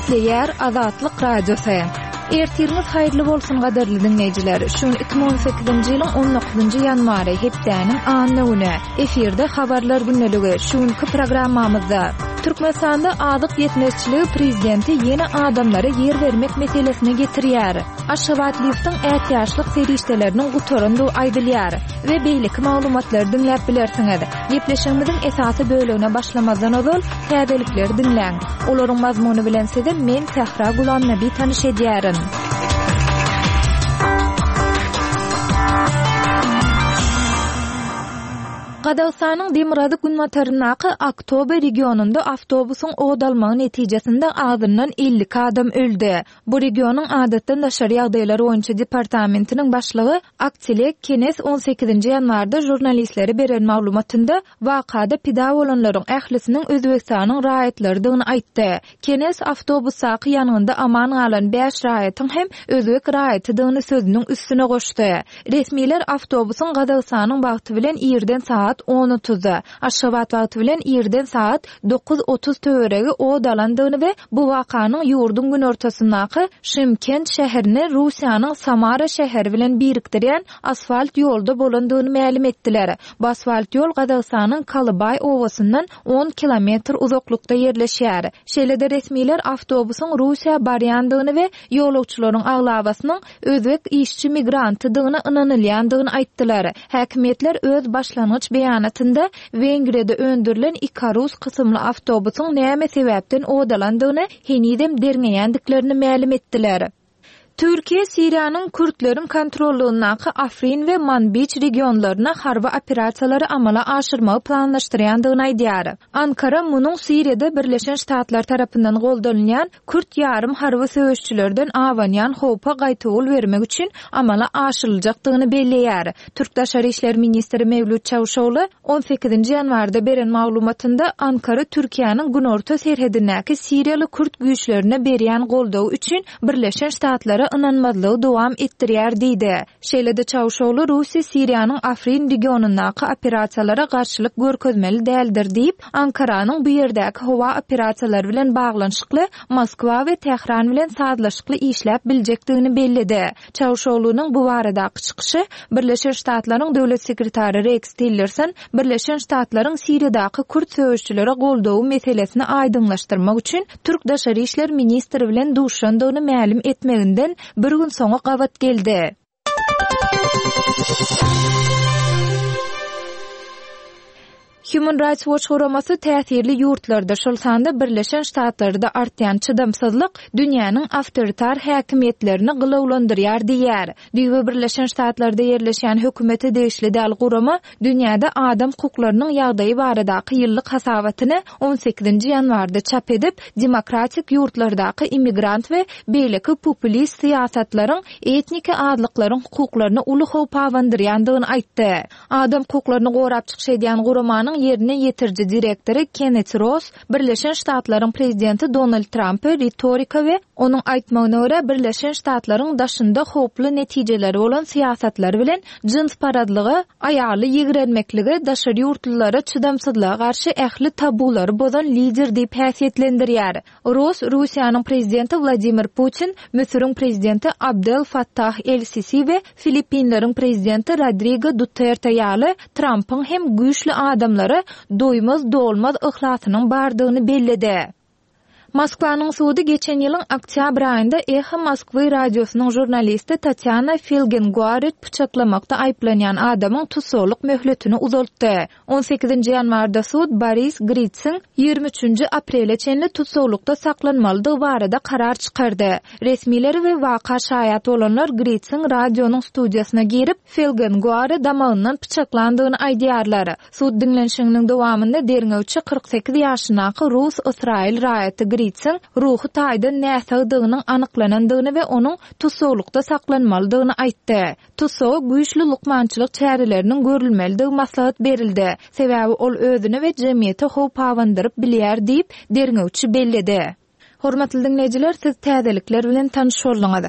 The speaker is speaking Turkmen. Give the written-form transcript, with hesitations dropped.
Gepleýär Azatlyk Radiosy. Ertiriňiz haýyrly bolsun gadyrly diňleýjiler. Şu gün 2018-nji ýylyň 19-njy ýanwary, hepdäniň anna güni. Efirde habarlar gündeligi. Şu günki programmamyzda Türkmenistanda azyk ýetmezçiligi prezidenti ýene adamlara ýer bermek meselesine getirýär. Aşgabat liftiň ätiýaçlyk serişdeleriniň gutarandygy aýdylýar we beýleki maglumatlary diňläp bilersiňiz. Gepleşigimiziň esasy bölegine başlamazdan ozal, täzelikleri diňläň. Olaryň mazmuny bilen sizi men Sähra Gulamnabi tanyş edýärin. Gazagystanyň demirgazyk-günbataryndaky Aktobe regionynda awtobusyň ot almagy netijesinde azyndan 52 adam öldi. Bu regionyň Adatdan daşary ýagdaýlar boýunça departamentiniň başlygy Aktilek Kenes on sekizinji ýanwarda žurnalistlere beren maglumatynda wakada pida bolanlaryň ählisiniň Özbegistanyň raýatlarydygyny aýtdy. Kenes awtobusdaky ýangynda aman galan bäş raýatyň hem özbek raýatydygyny sözüniň üstüne goşdy. Resmiler awtobusyň Gazagystanyň wagty bilen irden sagat on otuzda, Aşgabat wagty bilen irden sagat 9:30 töweregi ot alandygyny we bu wakanyň ýurduň günortasyndaky Şymkent şäherini Russiýanyň Samara şäheri bilen birikdirýän asfalt ýolda bolandygyny mälim etdiler. Bu asfalt ýol Gazagystanyň Kalybaý obasyndan on kilometr uzaklykda ýerleşýär. Şeýle-de resmiler awtobusyň Russiýa barýandygyny we ýolagçylaryň aglabasynyň özbek işçi migrantydygyna ynanylýandygyny aýtdylar. Häkimiýetler öz başlangyç beýanatynda Wengriýada öndürilen Ikarus kysymly awtobusyň näme sebäpden ot alandygyny henizem derňeýändiklerini mälim etdiler. Türkiýe Siriýanyň kürtleriň kontrollygyndaky Afrin we Manbij regionlaryna harby operasiýalary amala aşyrmagy planlaşdyrýandygyny aýdýar. Ankara munuň Siriýada Birleşen Ştatlar tarapyndan goldanylýan kürt ýarym harby söweşçilerden abanýan howpa gaýtawul bermek üçin amala aşyryljakdygyny belleýär. Türk Daşary işler ministri Mewlüt Çawuşogly on sekizinji ýanwarda beren maglumatynda Ankara Türkiýäniň günorta serhedindäki siriýaly kürt güýçlerine berýän goldawy üçin Birleşen Ştatlara ynanmazlygy dowam etdirýär diýdi. Şeýle-de Çawuşogly Russiýa Siriýanyň Afrin regionyndaky operasiýalara garşylyk görkezmeli däldir diýip, Ankaranyň bu ýerdäki howa operasiýalary bilen baglanyşykly Moskwa we Tähran bilen sazlaşykly işläp biljekdigini belledi. Çawuşoglunyň bu baradaky çykyşy Birleşen Ştatlaryň Döwlet sekretary Reks Tillerson Birleşen Ştatlaryň Siriýadaky kürt söweşçilere goldawy meselesini aýdyňlaşdyrmak üçin türk daşary işler ministri bilen duşandygyny mälim etmeginden bir gün soňa gabat geldi. Human Rights Watch guramasy täsirli ýurtlarda, şol sanda Birleşen Ştatlarda artýan çydamsyzlyk dünýäniň awtoritar häkimiýetlerini gylawlandyrýar diýýär. Düýbi Birleşen Ştatlarda ýerleşýän hökümete degişli däl gurama dünýäde adam hukuklarynyň ýagdaýy baradaky ýyllyk hasabatyny on sekizinji ýanwarda çap edip, demokratik ýurtlardaky immigrant we beýleki populist syýasatlaryň etniki azlyklaryň hukuklaryna uly howp abandyrýandygyny aýtdy. Adam hukuklaryny gorap çykyş edýän guramanyň ýerine ýetiriji direktory Kennet Ross Birleşen Ştatlaryň prezidenti Donald Trampy ritorika we onuň aýtmagyna görä, Birleşen Ştatlaryň daşynda howply netijeleri bolan syýasatlary bilen jynsparazlyga, aýaly ýigrenmeklige, daşary ýurtlulara çydamsyzlyga garşy ähli tabulary bozan lider diýip häsiýetlendirýär. Ross Russiýanyň prezidenti Wladimir Putin, Müsüriň prezidenti Abdel Fattah el-Sisi we Filippinleriň prezidenti Rodrigo Duterte ýaly Trampyň hem güýçli adamlara doýmaz-dolmaz yhlasynyň bardygyny belledi. Moskwanyň sudy geçen ýylyň oktýabr aýynda Eho Moskwy radiosynyň žurnalisti Tatýana Filgenguaret pyçaklamakda aýyplanýan adamyň tussaglyk möhletini uzaltdy. On sekizinji ýanwarda sud Boris Gritsiň ýigrimi üçünji aprele çenli tussaglykda saklanmalydygy barada karar çykardy. Resmiler we waka şaýat bolanlar Gritsiň radionyň studiýasyna girip, Felgenguary damagyndan pyçaklandygyny aýdýarlar. Sud diňlenişiginiň dowamynda derňewçi 48 ýaşyndaky rus-ysraýyl raýaty Gritsiň ruhy taýdan näsagdygynyň anyklanandygyny we onuň tussaglykda saklanmalydygyny aýtdy. Tussaga güýçli lukmançylyk çäreleriniň görülmelidigi maslahat berildi, sebäbi ol özüne we jemgyýete howp abandyryp bilýär diýip, derňewçi belledi. Hormatly diňleýjiler, siz täzelikler bilen tanyş bolduňyz.